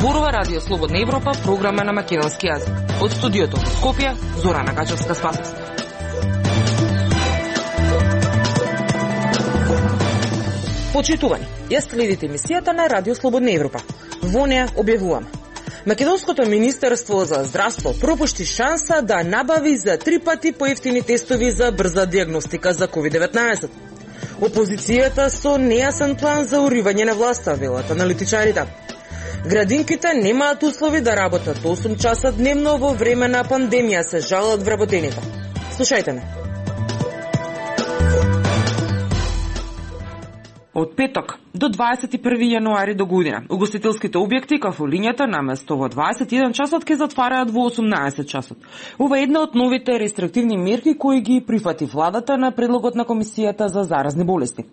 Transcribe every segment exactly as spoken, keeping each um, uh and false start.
Зборува Радио Слободна Европа, програма на македонски јазик. Од студиото во Скопје, Зорана Качевска-Спасовска. Почитувани, ја следите емисијата на Радио Слободна Европа. Во неа објавуваме: Македонското министерство за здравство пропушти шанса да набави за три пати поевтини тестови за брза диагностика за ковид деветнаесет. Опозицијата со нејасен план за уривање на власта, велат аналитичарите. Градинките немаат услови да работат осум часа дневно во време на пандемија, се жалат вработените. Слушајте ме. Од петок до дваесет и први јануари до година, угостителските објекти, кафулињата, наместо во дваесет и еден часот ке затвараат во осумнаесет часот. Ова е една од новите рестриктивни мерки кои ги прифати владата на предлогот на Комисијата за заразни болести.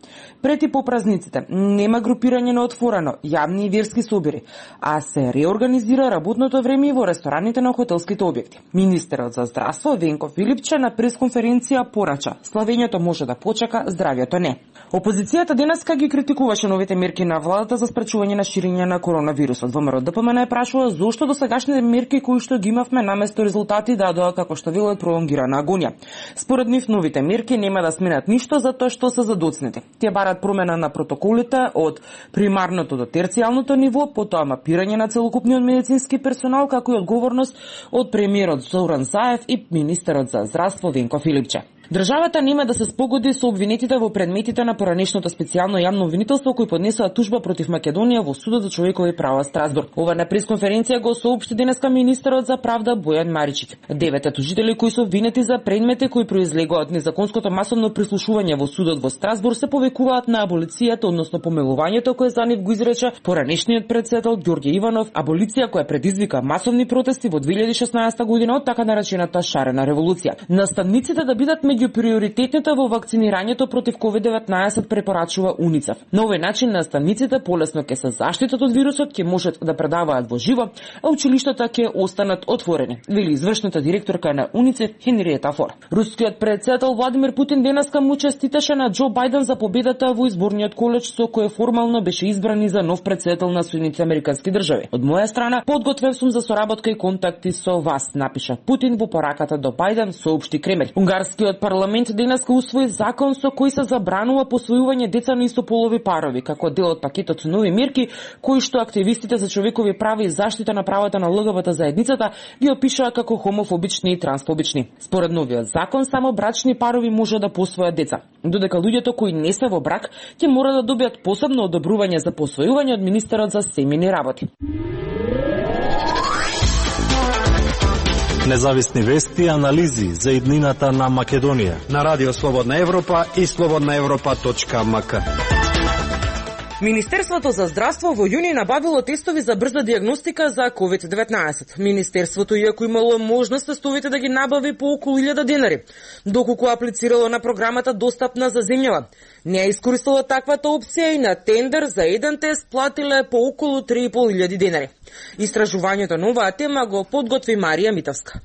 Пред и по празниците нема групирање на отворено, јавни и верски собири, а се реорганизира работното време и во рестораните на хотелските објекти. Министерот за здравство Венко Филипче на пресконференција порача: славењето може да почека, здравјето не. Опозицијата денеска ги критикуваше новите мерки на владата за спречување на ширење на коронавирусот. ВМРО Д П М Н прашува зошто досегашните мерки кои што ги имавме наместо резултати дадоа како што велат пролонгирана агонија. Според нив новите мерки нема да сменат ништо затоа што се задоцнети. Тие барат промена на протоколите од примарното до терцијалното ниво, потоа мапирање на целокупниот медицински персонал, како и одговорност од премиерот Зоран Заев и министерот за здравство Венко Филипче. Државата нема да се спогоди со обвинетите во предметите на поранешното специјално јавно обвинителство кои поднесоа тужба против Македонија во Судот за човекови права Страсбург. Ова на пресконференција го соопшти денеска министерот за правда Бојан Маричик. Девете тужители кои се обвинети за предмети кои произлегоа од незаконското масовно прислушување во Судот во Страсбург се повикуваат на аболицијата, односно помилувањето кое за нив го изрече поранешниот претседател Ѓорѓе Иванов, аболиција која предизвика масовни протести во две илјади и шеснаесета година од така наречената шарена револуција. Наставниците да бидат меѓу приоритетните во вакцинирањето против ковид деветнаесет, препорачува УНИЦЕФ. На овој начин наставниците полесно ќе се заштитат од вирусот, ќе можат да предаваат во живо, а училиштата ќе останат отворени, вели извршната директорка на УНИЦЕФ Хенриета Фор. Рускиот претседател Владимир Путин денеска му честиташе на Џо Бајден за победата во изборниот колеж со кој формално беше избран за нов претседател на Соединетите американски држави. Од моја страна, подготвен сум за соработка и контакти со вас, напиша Путин во пораката до Бајден, соопшти Кремљ. Унгарскиот парламент денеска усвои закон со кој се забранува посвојување деца на истополови парови, како дел од пакетот со нови мерки кои што активистите за човекови права и заштита на правата на Л Г Б Т заедницата ги опишаа како хомофобични и трансфобични. Според новиот закон, само брачни парови може да посвојат деца, додека луѓето кои не се во брак ќе мора да добијат посебно одобрување за посвојување од министерот за семејни работи. Независни вести и анализи за иднината на Македонија на Радио Слободна Европа и слободна европа точка м к. Министерството за здравство во јуни набавило тестови за брза диагностика за ковид деветнаесет. Министерството, иако имало можност тестовите да ги набави по околу илјада денари, доколку аплицирало на програмата достапна за земјава, не ја искористило таквата опција и на тендер за еден тест платиле по околу три и пол илјади денари. Истражувањето на оваа тема го подготви Марија Митовска.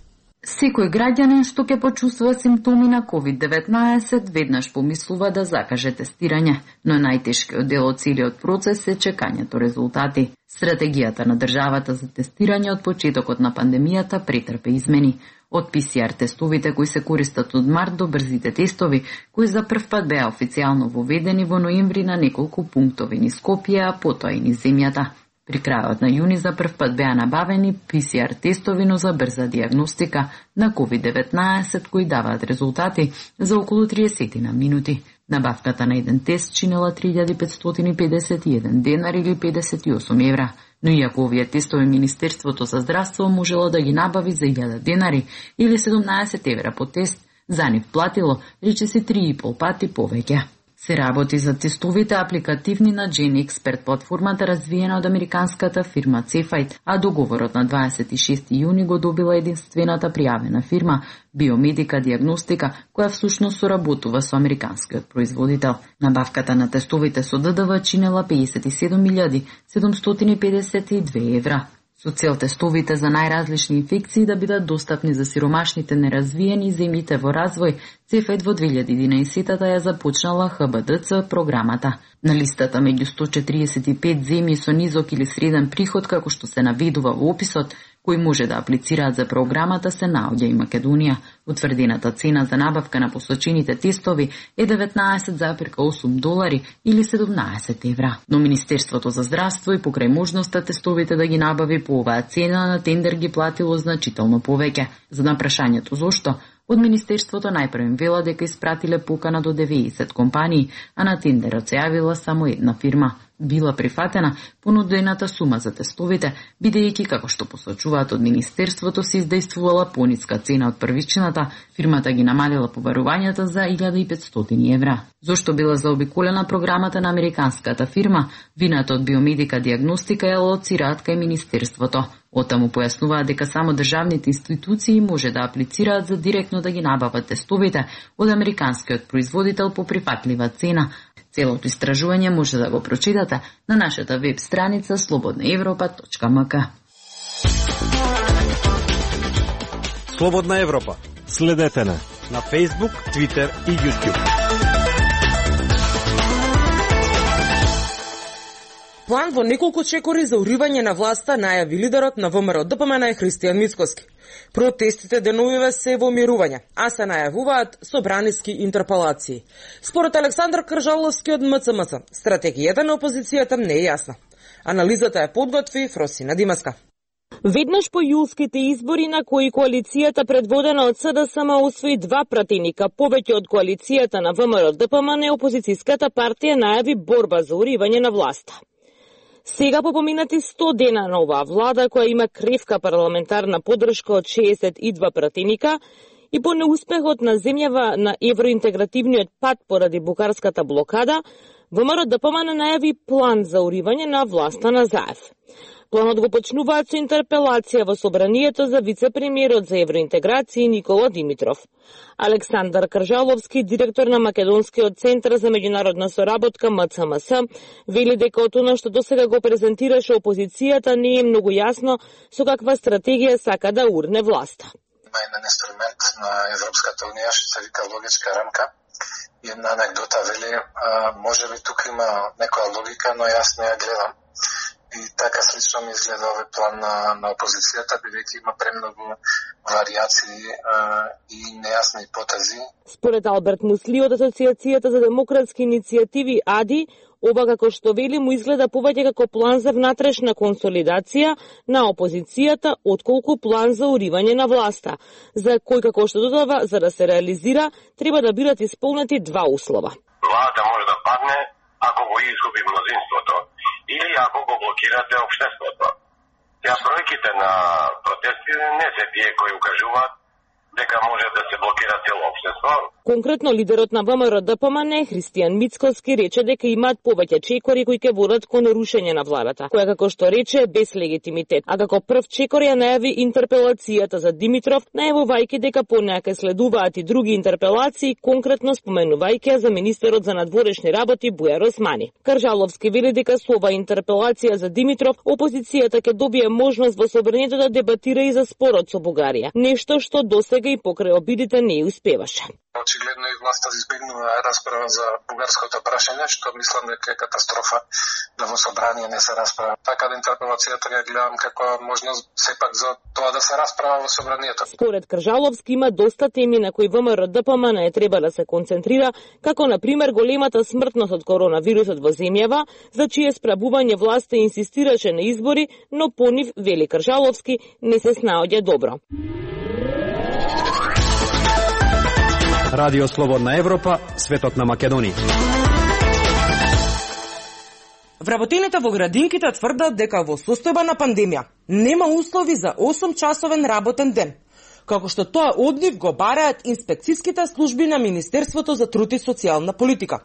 Секој граѓанин што ќе почувствува симптоми на ковид деветнаесет веднаш помислува да закаже тестирање, но најтешкиот дел од целиот процес е чекањето резултати. Стратегијата на државата за тестирање од почетокот на пандемијата претрпе измени. Од П С Р тестовите кои се користат од март до брзите тестови, кои за прв пат беа официјално воведени во ноември на неколку пунктови низ Скопје, а потоа и низ земјата. При крајот на јуни за прв пат беа набавени П С Р тестови, но за брза диагностика на ковид деветнаесет кои даваат резултати за околу триесет на минути. Набавката на еден тест чинела три илјади петстотини и педесет и еден денар или педесет и осум евра. Но иако овие тестови Министерството за здравство можело да ги набави за илјада денари или седумнаесет евра по тест, за нив платило речиси три и пол пати повеќе. Се работи за тестовите апликативни на GenExpert платформата развиена од американската фирма Cefite, а договорот на дваесет и шести јуни го добила единствената пријавена фирма Биомедика диагностика, која всушност соработува со американскиот производител. Набавката на тестовите со Д Д В чинела педесет и седум илјади седумстотини и педесет и две евра. со цел тестовите за најразлични инфекции да бидат достапни за сиромашните неразвиени земјите во развој, ЦЕФЕД во две илјади и единаесетта ја започнала Х Б Д Ц програмата. На листата меѓу сто четиридесет и пет земји со низок или среден приход, како што се наведува во описот, кои може да аплицираат за програмата, се наоѓа и Македонија. Утврдената цена за набавка на посочените тестови е деветнаесет зарез и осум долари или седумнаесет евра. Но Министерството за здравство и покрај можноста тестовите да ги набави по оваа цена на тендер ги платило значително повеќе. За на прашањето зошто, од Министерството најпрво вела дека испратиле покана до деветдесет компании, а на тендерот се јавила само една фирма. Била прифатена понудената сума за тестовите, бидејќи, како што посочуваат од Министерството, се издействувала пониска цена од првичната, фирмата ги намалила побарувањата за илјада и петстотини евра. Зошто била заобиколена програмата на американската фирма, вината од Биомедика диагностика ја лоцираат кај Министерството. Отаму појаснуваат дека само државните институции може да аплицираат за директно да ги набават тестовите од американскиот производител по прифатлива цена. Целото истражување може да го прочитате на нашата веб страница слободна европа точка м к. Слободна Европа. Следете на на Facebook, Twitter и YouTube. План во неколку чекори за уривање на власта најави лидерот на ВМРО Д П М Н Христијан Мицкоски. Протестите деновиве се во мирување, а се најавуваат собраниски интерпелации. Според Александар Кржаловски од М Ц М Ц, стратегијата на опозицијата не е јасна. Анализата ја подготви Фросина Димаска. Веднаш по јулските избори на кои коалицијата предводена од С Д С М освои два пратеника повеќе од коалицијата на ВМРО Д П М Н, опозицијската партија најави борба за уривање на власта. Сега по поминати сто дена на оваа влада, која има кревка парламентарна поддршка од шеесет и два пратеника, и по неуспехот на земјава на евроинтегративниот пат поради букарската блокада, ВМРО Д П М Н најави план за уривање на власта на Заев. Планот го почнуваат со интерпелација во собранието за вице-премиерот за евроинтеграција Никола Димитров. Александар Кржаловски, директор на Македонскиот центар за меѓународна соработка М Ц М С, вели дека од она што досега го презентираше опозицијата не е многу јасно со каква стратегија сака да урне власта. Има еден инструмент на Европската унија што се вика логичка рамка. И една анекдота вели, а, може би тука има некоја логика, но јас не ја гледам. И така слично ми изгледа овој план на, на опозицијата, бидејќи има премногу варијации а, и нејасни потези. Според Алберт Мусли од Асоциацијата за демократски иницијативи А Д И, ова како што вели му изгледа повеќе како план за внатрешна консолидација на опозицијата, отколку план за уривање на власта, за кој, како што додава, за да се реализира, треба да бидат исполнети два услова. Владата може да падне ако го изгуби мнозинството или ако го блокирате општеството. Ја бројките на протестите не се тие кои укажуваат дека може да се блокира цело општество. Конкретно лидерот на ВМРО Д П М Н Христијан Мицкоски рече дека имаат повеќе чекори кои ќе водат кон рушење на владата, која како што рече е без легитимитет. А како прв чекор ја најави интерпелацијата за Димитров, најавувајќи дека по неа ќе следуваат и други интерпелации, конкретно споменувајќи за министерот за надворешни работи Бујар Османи. Кржаловски вели дека со ова интерпелација за Димитров опозицијата ќе добие можност во собранието да дебатира и за спорот со Бугарија, нешто што досега и покрај обидите не успеваше. Очигледно и власта избегнува расправа за бугарското прашање, што мислам дека е катастрофа да во собрание не се расправа. Така да интерпелацијата ја гледам како можност сепак за тоа да се расправа во собранието. Според Кржаловски има доста теми на кои ВМРО Д П М Н е треба да се концентрира, како на пример големата смртност од коронавирусот во земјава, за чие справување власта инсистираше на избори, но по нив, вели Кржаловски, не се снаоѓа добро. Радио Слободна Европа, светот на Македонија. Вработените во градинките тврдат дека во состојба на пандемија нема услови за осум часовен работен ден, како што тоа од нив го бараат инспекцијските служби на Министерството за труд и социјална политика.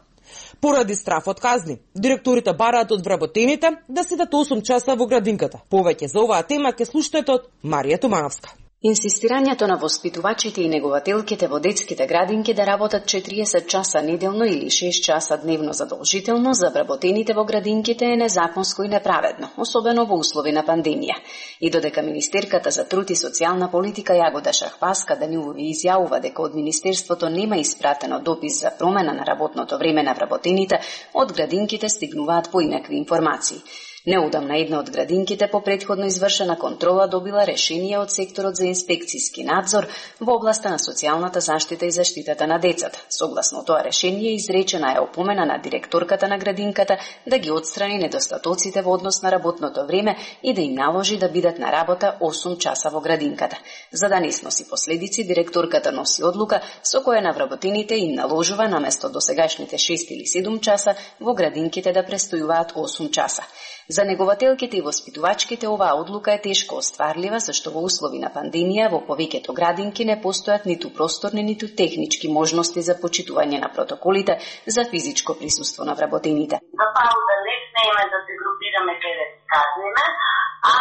Поради страф од казни, директорите бараат од вработените да седат осум часа во градинката. Повеќе за оваа тема ќе слушнете од Марија Тумановска. Инсистирањето на воспитувачите и негователките во детските градинки да работат четириесет часа неделно или шест часа дневно задолжително за вработените во градинките е незаконско и неправедно, особено во услови на пандемија. И додека Министерката за труд и социјална политика Јагода Шахпаска Данилови изјавува дека од Министерството нема испратено допис за промена на работното време на вработените, од градинките стигнуваат поинакви информации. Неудамна една од градинките по претходно извршена контрола добила решение од секторот за инспекцијски надзор во областа на социјалната заштита и заштитата на децата. Согласно тоа решение изречена е опомена на директорката на градинката да ги отстрани недостатоците во однос на работното време и да им наложи да бидат на работа осум часа во градинката. За да не сноси последици, директорката носи одлука со која на вработените им наложува наместо досегашните шест или седум часа во градинките да престојуваат осум часа. За негователките и воспитувачките оваа одлука е тешко остварлива, зашто во услови на пандемија во повеќето градинки не постојат ниту просторни, ниту технички можности за почитување на протоколите за физичко присуство на вработените. За пауза не смееме да се групираме каде казниме, а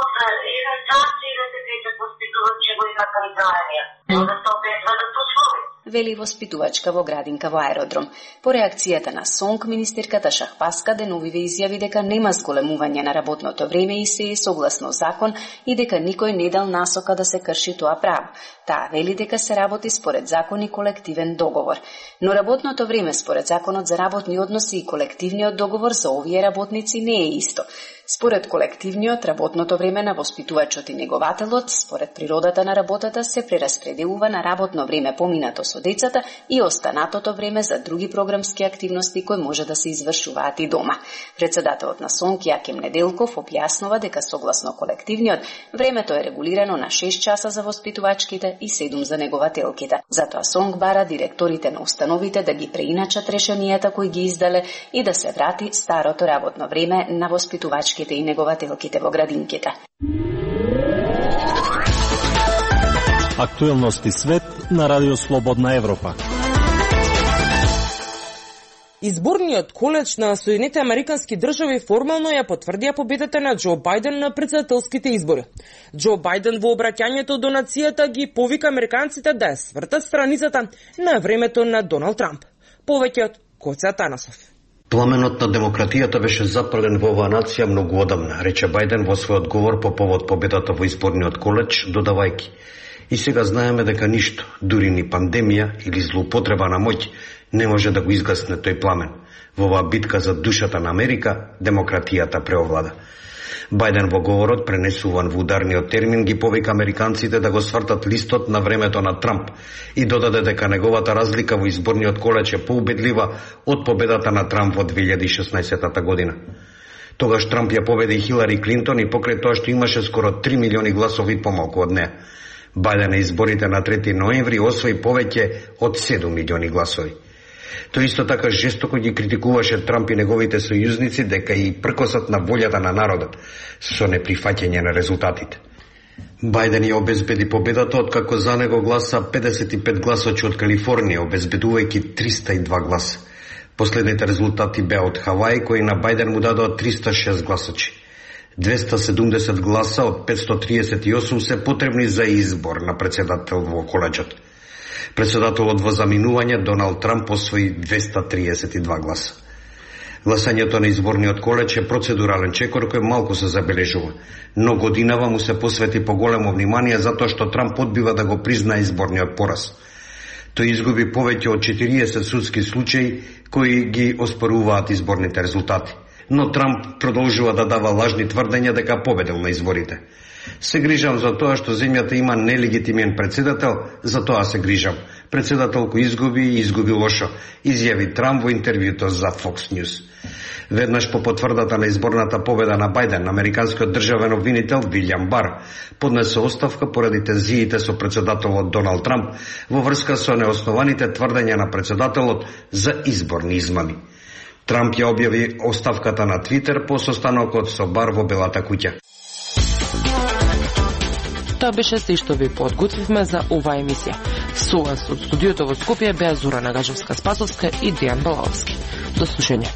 од еден час и да се петат воспитувачи во една канцеларија. Да се опетва да се услови. Вели воспитувачка во градинка во Аеродром. По реакцијата на СОНК, министерката Шахпаска Деновиве изјави дека нема зголемување на работното време и се е согласно закон и дека никој не дал насока да се крши тоа право. Таа вели дека се работи според закон и колективен договор. Но работното време според законот за работни односи и колективниот договор за овие работници не е исто. Според колективниот, работното време на воспитувачот и негователот, според природата на работата, се прераспределува на работно време поминато со децата и останатото време за други програмски активности кои може да се извршуваат и дома. Председателот на СОНК Јаким Неделков објаснува дека согласно колективниот, времето е регулирано на шест часа за воспитувачките и седум за негователките. Затоа СОНК бара директорите на установите да ги преиначат решенијата кои ги издале и да се врати старото работно време на воспитувачките и негователките во градинките. Актуелности свет на Радио Слободна Европа. Изборниот коледж на Соединетите Американски држави формално ја потврдија победата на Џо Бајден на претседателските избори. Џо Бајден во обраќањето до нацијата ги повика американците да ја свртат страницата на времето на Доналд Трамп. Повеќе од Коца Танасов. Пламенот на демократијата беше запален во оваа нација многу одамна, рече Бајден во својот говор по повод победата во изборниот коледж, додавајќи: и сега знаеме дека ништо, дури ни пандемија или злоупотреба на моќ, не може да го изгасне тој пламен. Во оваа битка за душата на Америка, демократијата преовлада. Бајден во говорот, пренесуван во ударниот термин, ги повика американците да го свртат листот на времето на Трамп и додаде дека неговата разлика во изборниот коледж е поубедлива од победата на Трамп во две илјади и шеснаесетта година. Тогаш Трамп ја победи Хилари Клинтон и покрај тоа што имаше скоро три милиони гласови помалку од неа. Бајден на изборите на трети ноември освои повеќе од седум милиони гласови. Тој исто така жестоко ги критикуваше Трамп и неговите сојузници дека и пркосат на волјата на народот со неприфаќање на резултатите. Бајден ја обезбеди победата откако за него гласа педесет и пет гласачи од Калифорнија, обезбедувајќи триста и два гласа. Последните резултати беа од Хавај, кои на Бајден му дадоа триста и шест гласачи. двеста и седумдесет гласа од петстотини и триесет и осум се потребни за избор на председател во коледжот. Председателот во заминување Доналд Трамп освои двеста и триесет и два гласа. Гласањето на изборниот коледж е процедурален чекор кој малку се забележува, но годинава му се посвети поголемо внимание затоа што Трамп одбива да го признае изборниот пораз. Тој изгуби повеќе од четириесет судски случаи кои ги оспоруваат изборните резултати. Но Трамп продолжува да дава лажни тврдења дека победил на изборите. Се грижам за тоа што земјата има нелегитимен председател, за тоа се грижам. Председател кој изгуби и изгуби лошо, изјави Трамп во интервјуто за Fox News. Веднаш по потврдата на изборната победа на Бајден, американскиот државен обвинител Вилјам Бар поднесе оставка поради тензиите со председателот Доналд Трамп во врска со неоснованите тврдења на председателот за изборни измами. Трамп ја објави оставката на Твитер по состанокот со Бар во Белата куќа. Тоа беше се што ви подготвивме за оваа емисија. Со вас од студиото во Скопје беа Зора Нагажевска-Спасовска и Дејан Балаовски. До слушање.